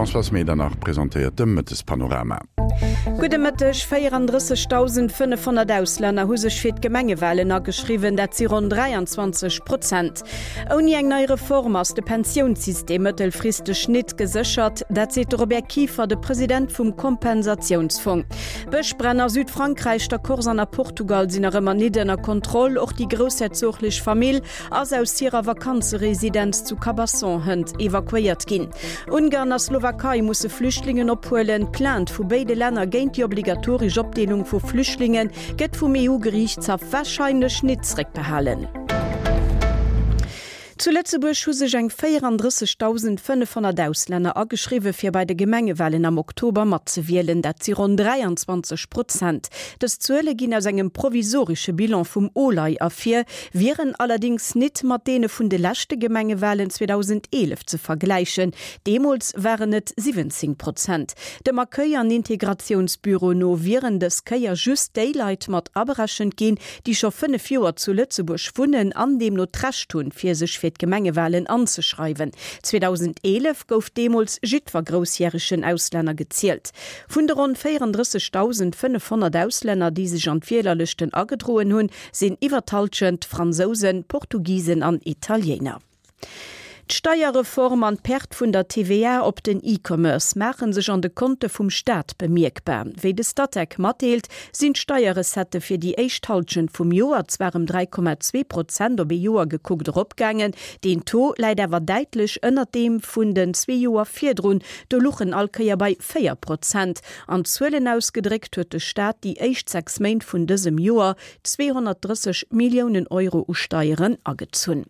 D'Françoise Medernach presentéiert de Mëttespanorama. Gudde Mëtteg. 34.500 Auslänner hu sech fir d'Gemengewalen ageschriwwen, dat si ronn 23 Prozent. Ouni eng nei Reform ass de Pensiounssystem mëttelfristeg nit geséchert. Dat seet de Robert Kieffer, de President vum Kompensatiounsfong. Bëschbränn a Südfrankräich, der Corse an a Portugal sinn nach ëmmer nit ënner Kontroll. Och déi groussherzoglech Famill ass aus hirer Vakanzeresidenz zu Cabasson hënt evakuéiert ginn. Ungarn a Slowakei musse Flüchtlingen ophuelen. D'Plainte vu béide Länner géint déi obligatoresch Opdeelung vu Flüchtlinge gëtt vum EU-Geriichtshaff warscheinlech nit zeréckbehalen. Zu Lëtzebuerg hu sech eng 34.500 Auslänner ageschriwwe fir bei de Gemengewalen am Oktober matzewielen. Dat si ronn 23 Prozent. Dës Zuele ginn aus engem provisoresche Bilan vum OLAI ervir, wieren allerdéngs nit mat deene vun de leschte Gemengewalen 2011 ze vergläichen. Deemools waren et 17 Prozent. Dem Accueil an Integratiounsbüro no wieren dës Kéier just déi Leit mat aberechent ginn, déi scho 5 Joer zu Lëtzebuerg wunnen an deemno d'Recht hunn, fir sech fir d'Gemengewalen anzeschreiwen. 2011 gouf deemools jiddwer groussjäregen Auslänner gezielt. Vun de ronn 34.500 Auslänner, déi sech an d'Wielerlëschten agedroen hunn, sinn iwwer d'Hallschent Fransousen, Portugisen an Italiéiner. D'Steierreform an d'Perte vun der TVA op den E-Commerce maache sech an de Konte vum Staat bemierkbar. Wéi de Statec matdeelt, sinn d'Steierrecettë fir déi éischt Hallschent vum Joer zwar ëm 3,2 Prozent op ee Joer gekuckt eropgaangen, deen Taux läit awer däitlech ënnert deem vun den zwee Joer virdrun, do luch en all Kéier bei 4 Prozent. An Zuelen ausgedréckt huet de Staat déi éischt 6 Méint vun dësem Joer 230 Milliounen Euro u Steieren agezunn.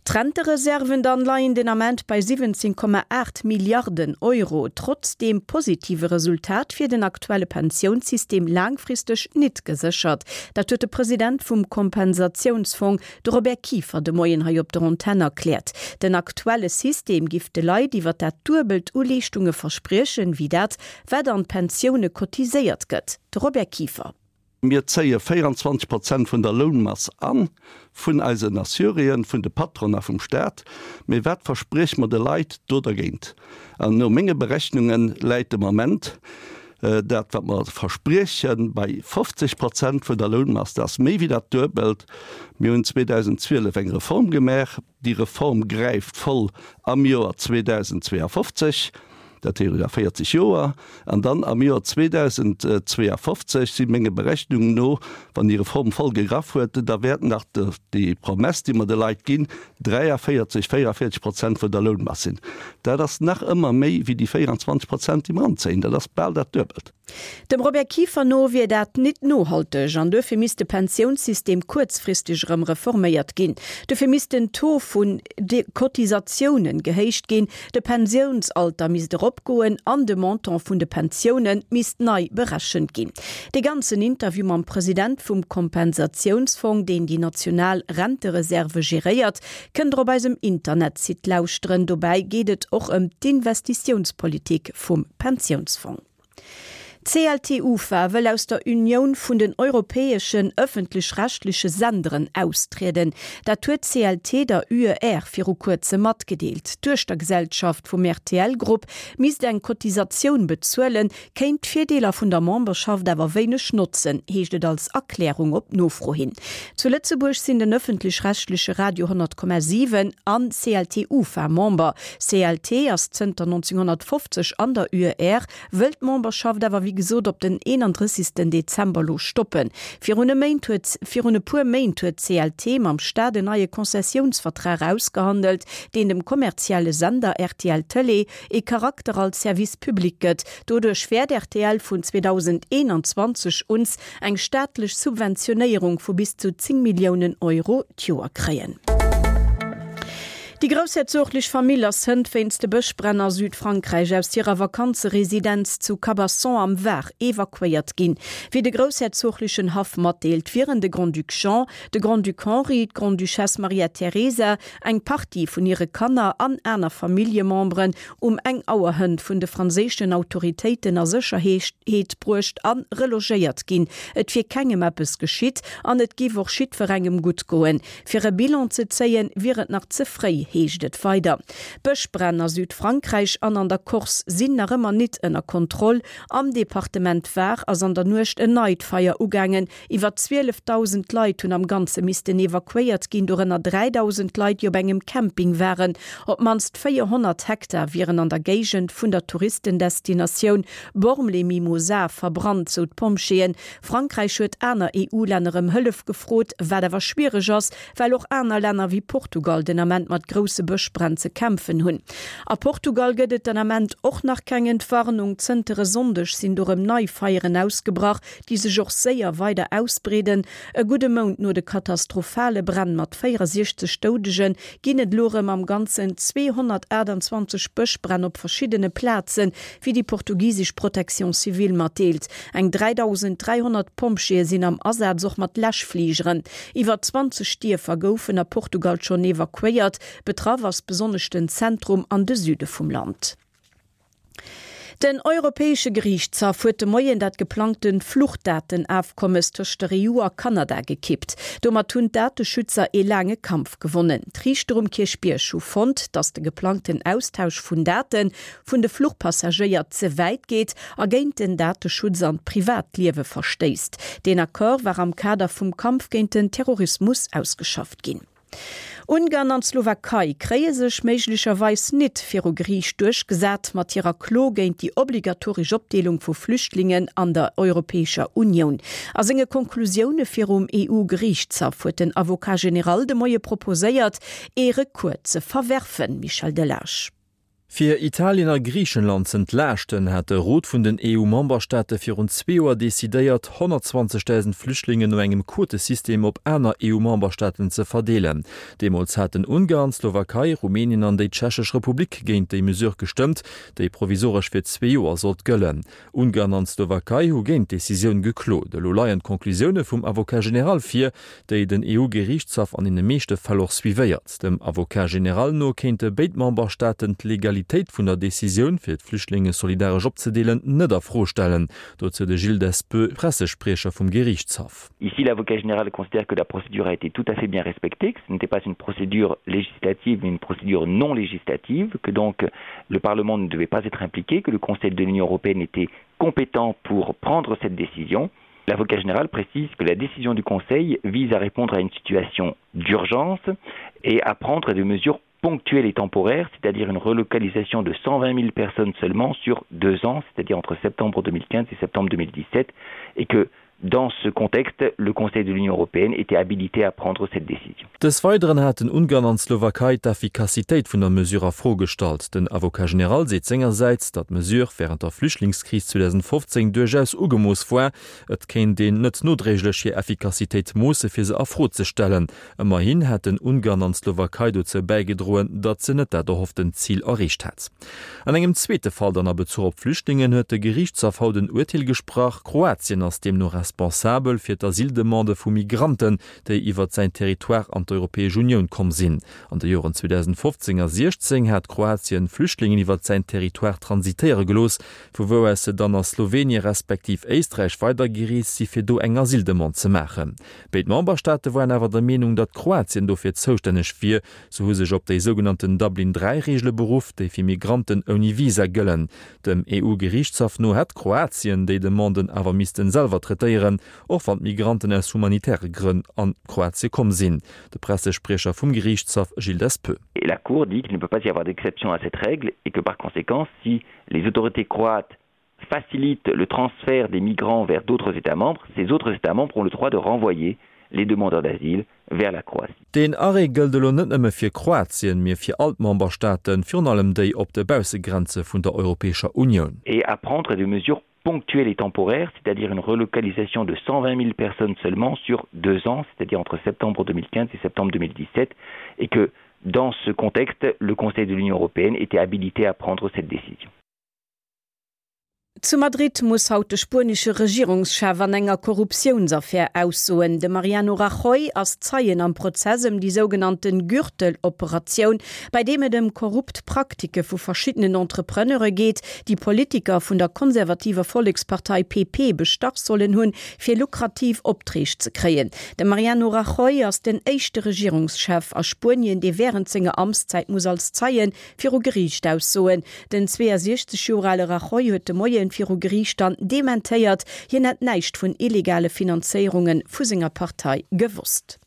D'Rentereserven dann leien den Ament bei 17,8 Milliarden Euro. Trotz deem positive Resultat wier den aktuelle Pensiounssystem laangfristeg nit geséchert. Dat huet de President vum Kompensatiounsfong, de Robert Kieffer, de Moien hei op der Antenn erkläert. Den aktuelle System giff de Leit iwwer dat Duebelt u Leeschtunge verspriechen, wéi dat, wat an d'Pensioune cotiséiert gëtt. De Robert Kieffer. Mir zéie 24 Prozent vun der Lounmass an, vun eisen Assuréen, vun de Patronen a vum Staat. Mee wat versprieche mer de Leit do dergéint? An no menge Berechnunge läit de Moment dat, wat mer verspriechen, bei 50 Prozent vun der Lounmass. Dat ass méi wéi dat Duebelt. Mir hunn 2012 eng Reform gemaach. Déi Reform gräift voll am Joer 2052, dat heescht a 40 Joer. An dann am Joer 2052 si menge Berechnungen no, wann déi Reform voll gegraff huet, da wäert nach déi Promess, déi mer de Leit ginn, 43, 44 Prozent vun der Lounmass sinn. Dat ass nach ëmmer méi wéi déi 24 Prozent, déi mer anzéien. Dat ass bal dat Duebelt. Dem Robert Kieffer no wier dat nit nohalteg an duerfir misst de Pensiounssystem kuerzfristeg erëm reforméiert ginn. Dofir misst den Taux vun de Cotisatiounen gehéicht ginn, de Pensiounsalter misst eropgoen an de Montant vun de Pensioune misst nei berechent ginn. Dee ganzen Interview mam President vum Kompensatiounsfong, deen déi national Rentereserve geréiert, kënnt der op eisem Internetsite lauschteren. Dobäi geet et och ëm d'Investitiounspolitik vum Pensiounsfong. D'CLT-UFA wëll aus der Unioun vun den europäeschen ëffentlech-rechtleche Senderen austrieden. Dat huet d'CLT der UER viru kuerzem matgedeelt. D'Duechtergesellschaft vum RTL-Grupp misst eng Cotisatioun bezuelen, kéint d'Virdeeler vun der Memberschaft awer wéineg notzen, heescht et als Erklärung op Nofro hin. Zu Lëtzebuerg sinn den ëffentlech-rechtleche Radio 100,7 an CLT-UFA Member. CLT ass zënter 1950 an der UER, wëll d'Memberschaft awer wéi gesot op den 31. Dezember lo stoppen. Virun e Méint huet virun e puer Méint huet d'CLT mam Staat en neie Konzessiounsvertrag ausgehandelt, deen dem kommerzielle Sender rtl Tëlee ee Charakter als Service public gëtt. Doduerch wäert rtl vun 2021 uns eng staatlech Subventionéierung vu bis zu 10 Milliounen Euro d'Joer kréien. Déi groussherzoglech Famill ass hënt wéinst de Bëschbränn a Südfrankräich aus hirer Vakanzeresidenz zu Cabasson am Var evakuéiert ginn. Wéi de groussherzoglechen Haff matdeelt, wieren de Grand-Duc Jean, de Grand-Duc Henri, d'Grande-Duchesse Maria Teresa, eng Partie vun hire Kanner an aner Familljememberen um eng Auer hënt vun de franséischen Autoritéiten a Sécherheet bruecht a relogéiert ginn. Et wier kengem eppes geschitt an et giff och jiddwerengem gutt goen. Fir e Bilan ze zéien, wier et nach ze fréi, heescht et weider. Bëschbränn a Südfrankräich an an der Corse sinn nach ëmmer nit ënner Kontroll. Am Departement Var ass an der Nuecht en neit Feier ugaangen. Iwwer 12.000 Leit hunn am Ganze missten evakuéiert ginn, dorënner 3.000 Leit, déi op engem Camping waren. Op d'mannst 400 Hektar wieren an der Géigend vun der Touristendestinatioun Bormes-les-Mimosas verbrannt, sou d'Pompjeeën. Frankräich huet aner EU-Länner ëm Hëllef gefrot, wat awer schwiereg ass, well och aner Länner wéi Portugal den Ament mat grousse Bëschbränn ze kämpfen hunn. A Portugal gëtt et den Ament och nach keng Entwarnung. Zënter e Sonndeg sinn do rëm nei Feieren ausgebrach, déi sech och séier weider ausbreeden. E gudde Mount no de katastrophale Bränn mat 64 Doudegen ginn et elo rëm am Ganzen 228 Bëschbränn op verschiddene Plazen, wéi déi portugisesch Protection civile matdeelt. Eng 3.300 Pompjeeë sinn am Asaz, och mat Läschfligeren. Iwwer 20 Dierfer goufen a Portugal schonn evakuéiert. Betraff ass besonnesch den Zentrum an de Süde vum Land. Den Europäesche Geriichtshaff huet de Moien dat geplangte Fluchdatenafkommes tëscht der EU a Kanada gekippt. Domat hunn d'Dateschützer ee laange Kampf gewonnen. D'Riichter um Kierchbierg hu fonnt, datt de geplangten Austausch vun Date vun de Fluchpassagéier ze wäit geet a géint den Dateschutz an d'Privatliewe verstéisst. Deen Accord war am Kader vum Kampf géint den Terrorismus ausgeschafft ginn. Ungarn an d'Slowakei kréie sech méiglecherweis nit viru Geriicht duerchgesat mat hirer Klo géint déi obligatoresch Opdeelung vu Flüchtlingen an der Europäescher Unioun. A senge Konklusioune virum EU-Geriichtshaff huet den Avocat général de Moie proposéiert, ee Recours ze verwerfen. Michel Delage. Fir Italien a Griichenland z'entlaaschten, hat de Rot vun den EU-Memberstaate virun zwee Joer decidéiert, 120.000 Flüchtlingen no engem Quotesystem op aner EU-Memberstaaten ze verdeelen. Deemools haten Ungarn, d'Slowakei, Rumänien an déi Tschechesch Republik géint déi Mesure gestëmmt, déi provisoresch fir zwee Joer sollt gëllen. Ungarn an d'Slowakei hu géint d'Decisioun geklot. Elo leien d'Conclusioune vum Avocat général vir, déi den EU-Geriichtshaff an deene meeschte Fäll och suivéiert. Dem Avocat général no kéinte béid Memberstaaten d'Legalitéit vun der Decisioun, fir d'Flüchtlinge solidaresch opzedeelen, net a Fro stellen. Dozou de Gilles Despeux, Pressespriecher vum Geriichtshaff. Ici, l'avocat général considère que la procédure a été tout à fait bien respectée, que ce n'était pas une procédure législative mais une procédure non législative, que donc le Parlement ne devait pas être impliqué, que le Conseil de l'Union européenne était compétent pour prendre cette décision. L'avocat général précise que la décision du Conseil vise à répondre à une situation d'urgence et à prendre des mesures ponctuelles et temporaires, c'est-à-dire une relocalisation de 120 000 personnes seulement sur deux ans, c'est-à-dire entre septembre 2015 et septembre 2017, et que dans ce contexte, le Conseil de l'Union européenne était habilité à prendre cette décision. Des Weideren haten Ungarn an d'Slowakei d'Effikassitéit vun der Mesure a Fro gestallt. Den Avocat général seet sengersäits, datt d'Mesure wärend der Flüchtlingskris 2015 duerchaus ugemooss war. Et kéint een net nodréiglech hir Effikassitéit moosse fir se a Fro ze stellen. Ëmmerhin hätten Ungarn an d'Slowakei dozou bäigedroen, datt se net dat erhofftent Zil erreecht hätt. An engem zweete Fall dann a Bezuch op Flüchtlingen huet de Geriichtshaff haut en Urteel gesprach. Kroatien ass deemno responsabel fir d'Asyldemandë vu Migranten, déi iwwert säin Territoire an d'Europäesch Unioun komm sinn. An de Joren 2015 a 16 hat Kroatien Flüchtlingen iwwert säin Territoire transitéiere gelooss, vu wou aus se dann a Slowenien respektiv Éisträich weidergereest si fir do eng Asyldemande ze maachen. Béid Memberstaate waren awer der Meenung, datt Kroatien dofir zoustänneg wier. Se hu sech op déi sougenannten Dublin III-Reegele beruff, déi fir Migranten ouni Visa gëllen. Dem EU-Geriichtshaff no hätt Kroatien déi Demanden awer missten selwer traitéieren, och wann d'Migranten aus humanitäre Grënn an Kroatie komm sinn. De Pressespriecher vum Geriichtshaff Gilles Despeux. Et la Cour dit qu'il ne peut pas y avoir d'exception à cette règle et que par conséquent, si les autorités croates facilitent le transfert des migrants vers d'autres États membres, ces autres États membres ont le droit de renvoyer les demandeurs d'asile vers la Croatie. Deen Arrêt gëllt elo net nëmme fir Kroatien, mee fir all d'Memberstaaten, virun allem déi op de Baussegrenze vun der Europäescher Unioun. Et à prendre des mesures ponctuelles et temporaires, c'est-à-dire une relocalisation de 120 000 personnes seulement sur deux ans, c'est-à-dire entre septembre 2015 et septembre 2017, et que dans ce contexte, le Conseil de l'Union européenne était habilité à prendre cette décision. Zu Madrid muss haut de spuenesche Regierungschef an enger Korruptiounsaffär aussoen. De Mariano Rajoy ass Zeien am Prozess ëm déi sougenannte Gürtel-Operatioun, bei deem et ëm korrupt Praktike vu verschiddenen Entrepreneure geet, déi Politiker vun der konservativer Vollekspartei PP bestach sollen hunn, fir lukrativ Opträg ze kréien. De Mariano Rajoy ass den éischte Regierungschef a Spuenien, dee wärend senger Amtszäit muss als Zeie viru Geriicht aussoen. Den 62 Joer ale Rajoy huet de Moien viru Geriicht dann dementéiert, hien hätt näischt vun illegale Finanzéierunge vu senger Partei gewosst.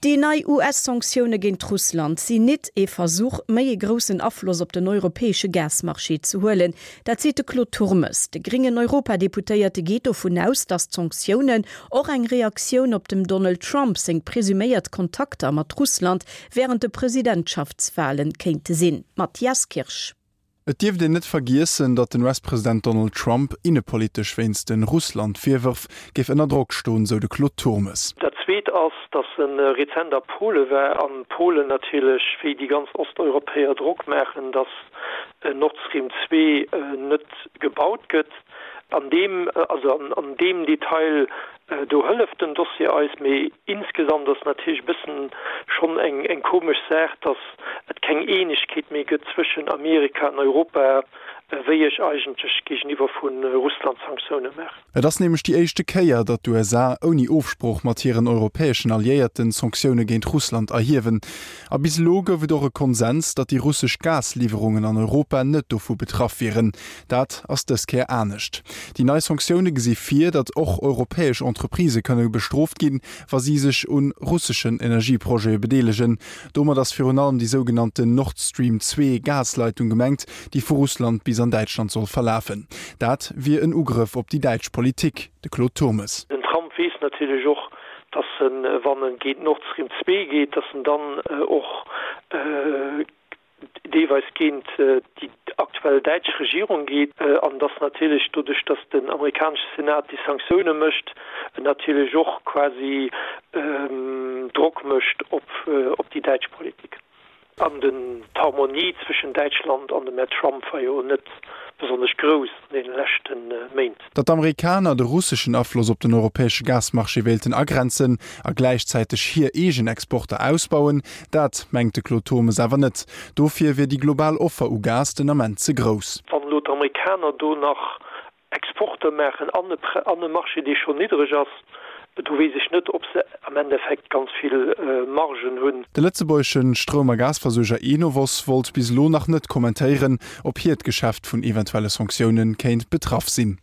Déi nei US-Sanktioune géint Russland sinn nit ee Versuch, méi ee groussen Afloss op den europäesche Gasmarché ze huelen. Dat seet de Claude Turmes. De gréngen Europadeputéierte geet dovun aus, datt d'Sanktiounen och eng Reaktioun op dem Donald Trump seng presuméiert Kontakter mat Russland wärend de Presidentschaftswalen kéinte sinn. Mathias Kirsch. Et dierft een net vergiessen, datt den US-President Donald Trump innepolitesch wéinst de Russland-Virwërf géif ënner Drock stoen, sou de Claude Turmes. Dat zweet ass, datt e rezent a Pole war an Polen natierlech, wéi déi ganz Osteuropäer, Drock maachen, datt Nord Stream 2 net gebaut gëtt. An deem, also an deem Detail Do hëlleft den Dossier eis, mee insgesamt ass natierlech e bëssen schonn eng komesch Saach, datt et keng Eenegkeet méi gëtt zwëschen Amerika an Europa, wéi ech eigentlech géigeniwwer vu Russland Sanktioune maachen. Et ass nämlech déi éischte Kéier, datt d'USA ouni Ofsprooch mat hiren europäeschen Alliéierten Sanktioune géint Russland erhiewen. A bis elo gouf et och e Konsens, datt déi russesch Gasliwwerungen an Europa net dovu betraff wieren. Dat ass dës Kéier anescht. Déi nei Sanktioune gesi vir, datt och europäesch Entreprisë kënne bestrooft ginn, wa si sech u russeschen Energieprojete bedeelegen. Domat ass virun allem déi sougenannten Nord Stream 2 Gasleitung gemengt, déi vu Russland bis an Däitschland soll verlafen. Dat wier en Ugrëff op déi däitsch Politik. De Claude Turmes. Den Trump weess natierlech och, datt en, wann e géint Nord Stream 2 geet, datt en dann och deelweis géint déi aktuell däitsch Regierung geet an dass natierlech doduerch, dass den amerikanesche Senat déi Sanktioune mécht, en natierlech och quasi Drock mécht op déi däitsch Politik. An den d'Harmonie zwëschen Däitschland an dem Här Trump war jo net besonnesch grouss an deene leschte Méint. Datt d'Amerikaner de russeschen Afloss op den europäesche Gasmarché wéilten agrenzen a gläichzäiteg hir eegen Exporter ausbauen, dat mengt de Claude Turmes awer net. Dofir wier déi global Offer u Gas den Ament ze grouss. Wann elo d'Amerikaner do nach Exporter maachen an e Marché, dee schonn niddreg ass, do weess ech net, ob se am Endeffekt ganz vill Margen hunn. De lëtzebuergesche Stroum a Gasversuerger Enovos wollt bis elo nach net kommentéieren, ob hiert Geschäft vun eventuelle Sanktioune kéint betraff sinn.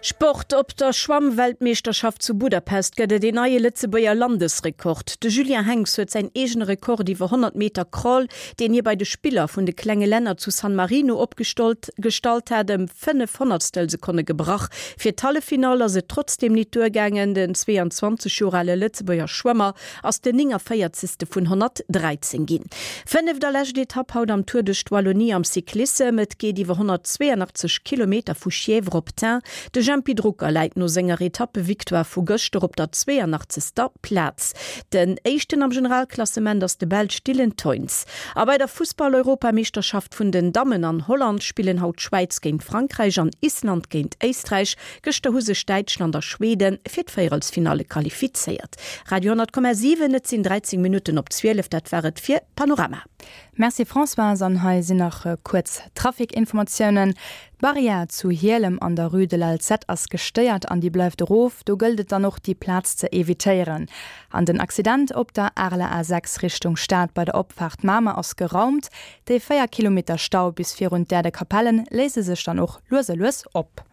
Sport, Op der Schwammweltmeeschterschaft zu Budapest gëtt et een neie Lëtzebuerger Landesrekord. De Julien Henx huet säin eegene Rekord iwwer 100 Meter Crawl, deen hie bei de Spiller vun de klenge Länner zu San Marino opgestallt gestallt hat, ëm 5 Honnertstelsekonne gebrach. Fir d'Halleffinall ass et trotzdeem nit duergaangen. Den 22 Joer ale Lëtzebuerger Schwëmmer ass den 49. vun 113 ginn. Fënneft a lescht Etapp haut am Tour duerch d'Wallonie am Cyclissem. Et geet iwwer 182 Kilometer vu Chièvres op Tain. De Jempy Drucker läit no senger Etappevictoire vu gëschter op der 82. Plaz. Den éischten am Generalklassement ass de Belsch Dylan Teuns. A bei der Fussball-Europameeschterschaft vun den Dammen an Holland spillen haut d'Schwäiz géint Frankräich an Island géint Éisträich. Gëschter hu sech Däitschland a Schweden fir d'Véierelsfinalle qualifizéiert. Radio 10,7, Et sinn 13 Minutten op 12, dat war et fir Panorama. Merci Françoise, an hei sinn nach kuerz Traficinformatiounen. D'Barrière zu Hielem an der Rue de l'Alzette ass gestéiert an déi bleift erof. Do gëllt et dann och déi Plaz ze evitéieren. An den Accident op der Areler A6 Richtung Stad bei der Opfaart Mamer ass geraumt. Déi 4 Kilometer Stau bis virun d'Aire de Capellen léise sech dann och lues a lues op.